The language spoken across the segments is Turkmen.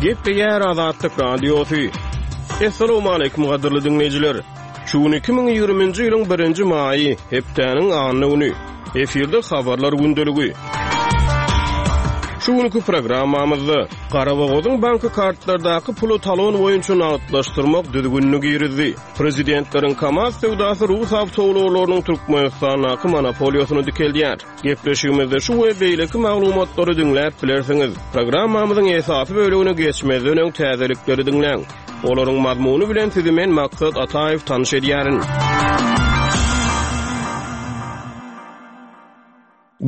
Gepleýär Azatlyk Radiosy. Assalamualaikum gadyrly diňleýjiler. Şu gün 2020-nji ýylyň 1-nji maýy, hepdäniň anna güni. Efirde habarlar gündeligi. Şu günki programmamyzda Garabogazyň banky kartlardaky puly talon boýunça nagtlaşdyrmak düzgünini girizdi. Prezidentleriň KAMAZ söwdasy rus awtoulaglarynyň Türkmenistandaky monopoliýasyny dikeldýär. Gepleşigimizde şu we beýleki maglumatlary diňläp bilersiňiz. Programmamyzyň esasy bölegine geçmezden öň täzelikleri diňläň. Olaryň mazmuny bilen sizi men Maksat Ataýew tanyş edýärin.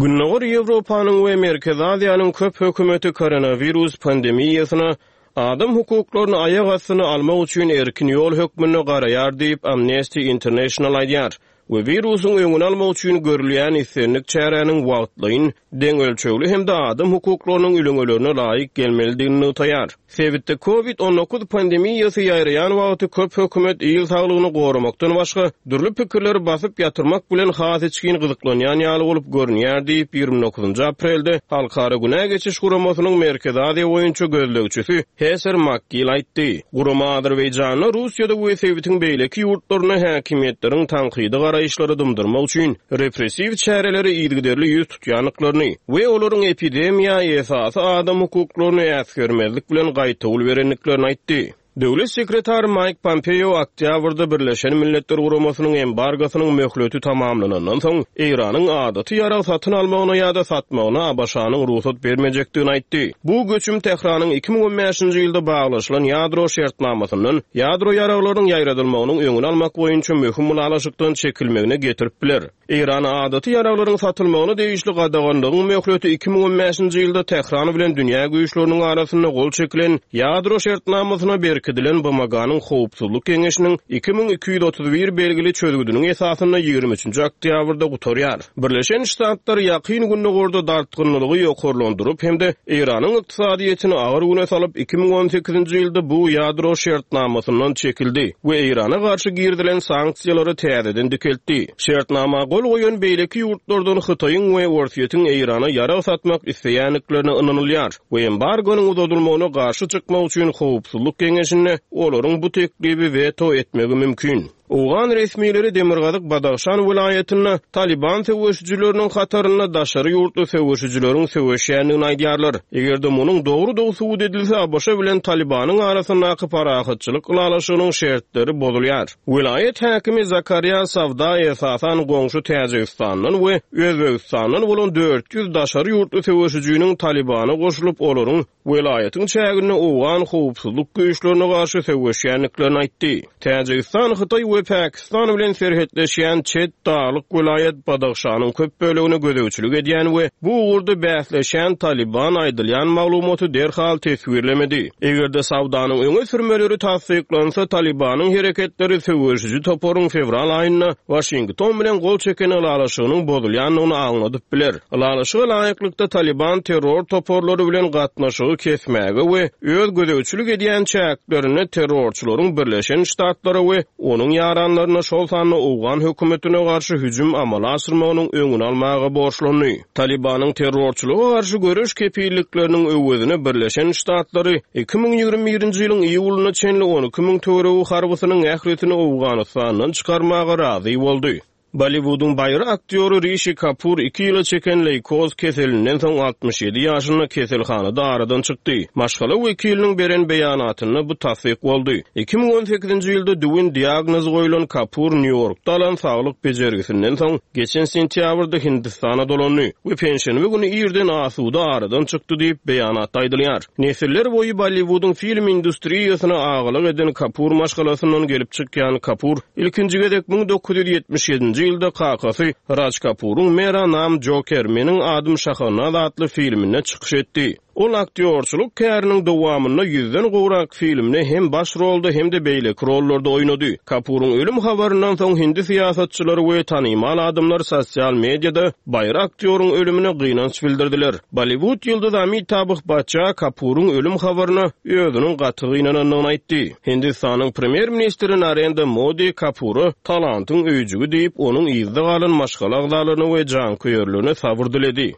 Gündogar Ýewropanyň we Merkezi Aziýanyň köp hökümeti koronawirus pandemiýasyna adam hukuklaryny aýak astyna almak üçin erkin ýol hökmünde garaýar diýip, Amnesty International aýdýar we wirusyň öňüni almak üçin görülýän islendik çäräniň wagtlaýyn, deň ölçegli hem-de adam hukuklarynyň ülňülerine laýyk gelmelidigini nygtaýar. Sebitde Covid 19 pandemiýasy ýaýraýan wagty köp hökümet il saglygyny goramakdan başga, dürli pikirleri basyp ýatyrmak bilen has içgin gyzyklanýan ýaly bolup görünýär diýip, 29 aprelde Halkara Günä geçiş guramasynyň Merkezi Aziýa boýunça gözlegçisi Heser Makgil aýtdy. Gurama Azerbaýjanda, Russiýada we sebitiň beýleki ýurtlarynda häkimiýetleriň tankydy garaýyşlary dymdyrmak üçin repressiw çärelere yzygiderli ýüz tutýandyklaryny we olaryň epidemiýa esasy adam hukuklaryny äsgermezlik bilen gaýtawul berendiklerini aýtdy. Döwlet sekretary Maýk Pompeo oktýabrda Birleşen Milletler Guramasynyň embargosynyň möhleti tamamlanandan soň, Eýranyň adaty ýarag satyn almagyna ýa-da satmagyna ABŞ-nyň rugsat bermejekdigini aýtdy. Bu göçüm Tähranyň 2015-nji ýylda baglaşylan ýadro şertnamasyndan ýadro ýaraglarynyň ýaýradylmagynyň öňüni almak boýunça möhüm ylalaşykdan çekilmegine getirip biler. Eýrana adaty ýaraglaryň satylmagyna degişli gadaganlygyň möhleti 2015-nji ýylda Tähran bilen dünýä güýçleriniň arasynda gol çekilen ýadro şertnamasyna berkidilen BMG-niň Howpsuzlyk Geňeşiniň 2231 belgili çözgüdiniň esasynda 23-nji oktýabrda gutarýar. Birleşen Ştatlar Ýakyn Gündogarda dartgynlylygy ýokarlandyryp hem-de Eýranyň ykdysadyýetini agyr güne salyp, 2018-nji ýylda bu ýadro şertnamasyndan çekildi we Eýrana garşy girizilen sanksiýalary täzeden dikeltdi. Şertnama gol goýan beýleki ýurtlardan Hytaýyň we Orsýetiň Eýrana ýarag satmak isleýändiklerine ynanylýar we embargonyň uzadylmagyna garşy çykmak üçin Howpsuzlyk Geňeşinde olaryň bu teklibi weto etmegi mümkin. Owgan resmileri demirgazyk Badahşan welaýatynda Talyban söweşijileriniň hatarynda daşary ýurtly söweşijileriň söweşýändigini aýdýarlar. Eger-de munuň dogrudygy subut edilse, ABŞ bilen Talybanyň arasyndaky parahatçylyk ylalaşygynyň şertleri bozulýar. Welaýat häkimi Zakarýa Sawda esasan goňşy Täjigistandan we Özbegistandan bolan 400 daşary ýurtly söweşijiniň Talybana goşulyp, olaryň welaýatyň çäginde owgan howpsuzlyk güýçlerine garşy söweşýändiklerini aýtdy. Täjigistan Hytaý we Pakistan bilen serhetleşýän çet daglyk welaýat Badahşanyň köp bölegine gözegçilik edýän we bu ugurda bäsleşýän Talyban aýdylýan maglumaty derhal teswirlemedi. Eger-de Sawdanyň öňe sürmeleri tassyklansa, Talybanyň hereketleri söweşiji toparyň fewral aýynda Waşington bilen gol çeken ylalaşygynyň bozulýandygyny aňladyp biler. Ylalaşyga laýyklykda, Talyban terror toparlary bilen gatnaşygy kesmäge we öz gözegçilik edýän çäklerinde terrorçylaryň Birleşen Ştatlara we onuň ýaranlaryna, şol sanda owgan hökümetine garşy hüjüm amala aşyrmagynyň öňüni almaga borçlandy. Talybanyň terrorçylyga garşy göreş kepillikleriniň öwezine Birleşen Ştatlary 2021-nji ýylyň iýulyna çenli 12 müň töweregi harbysynyň ählisini Owganystandan çykarmaga razy boldy. Bolliwudyň baýry aktýory Rişi Kapur iki ýyla çeken leýkoz keselinden soň 67 ýaşynda keselhanada aradan çykdy. Maşgala wekiliniň beren beýanatynda bu tassyk boldy. 2018-nji ýylda düwün diagnozy goýlan Kapur Nýu-Ýorkda alan saglyk bejergisinden soň, geçen sentýabrda Hindistana dolandy we penşenbe güni irden asuda aradan çykdy diýip, beýanatda aýdylýar. Nesiller boýy Bolliwudyň film industriýasyna agalyk eden Kapur maşgalasyndan gelip çykýan Kapur Ilkinji gezek 1977-nji ýylda kakasy Raj Kapuryň Mera Naam Joker, Meniň adym Şahanaz atly filminde çykyş etdi. Ol aktýorçylyk käriniň dowamynda ýüzden gowrak filmde hem baş rolda hem-de beýleki rollarda oýnady. Kapuryň ölüm habaryndan soň hindi syýasatçylary we tanymal adamlar sosial mediada baýry aktýoryň ölümine gynanç bildirdiler. Bolliwud ýyldyzy Amitabh Baçça Kapuryň ölüm habaryna özüniň gaty gynanandygyny aýtdy. Hindistanyň premýer-ministri Narendra Modi Kapura talantyň öýjügi diýip, onuň yzda galan maşgala agzalaryna we janköýerlerine sabyr diledi.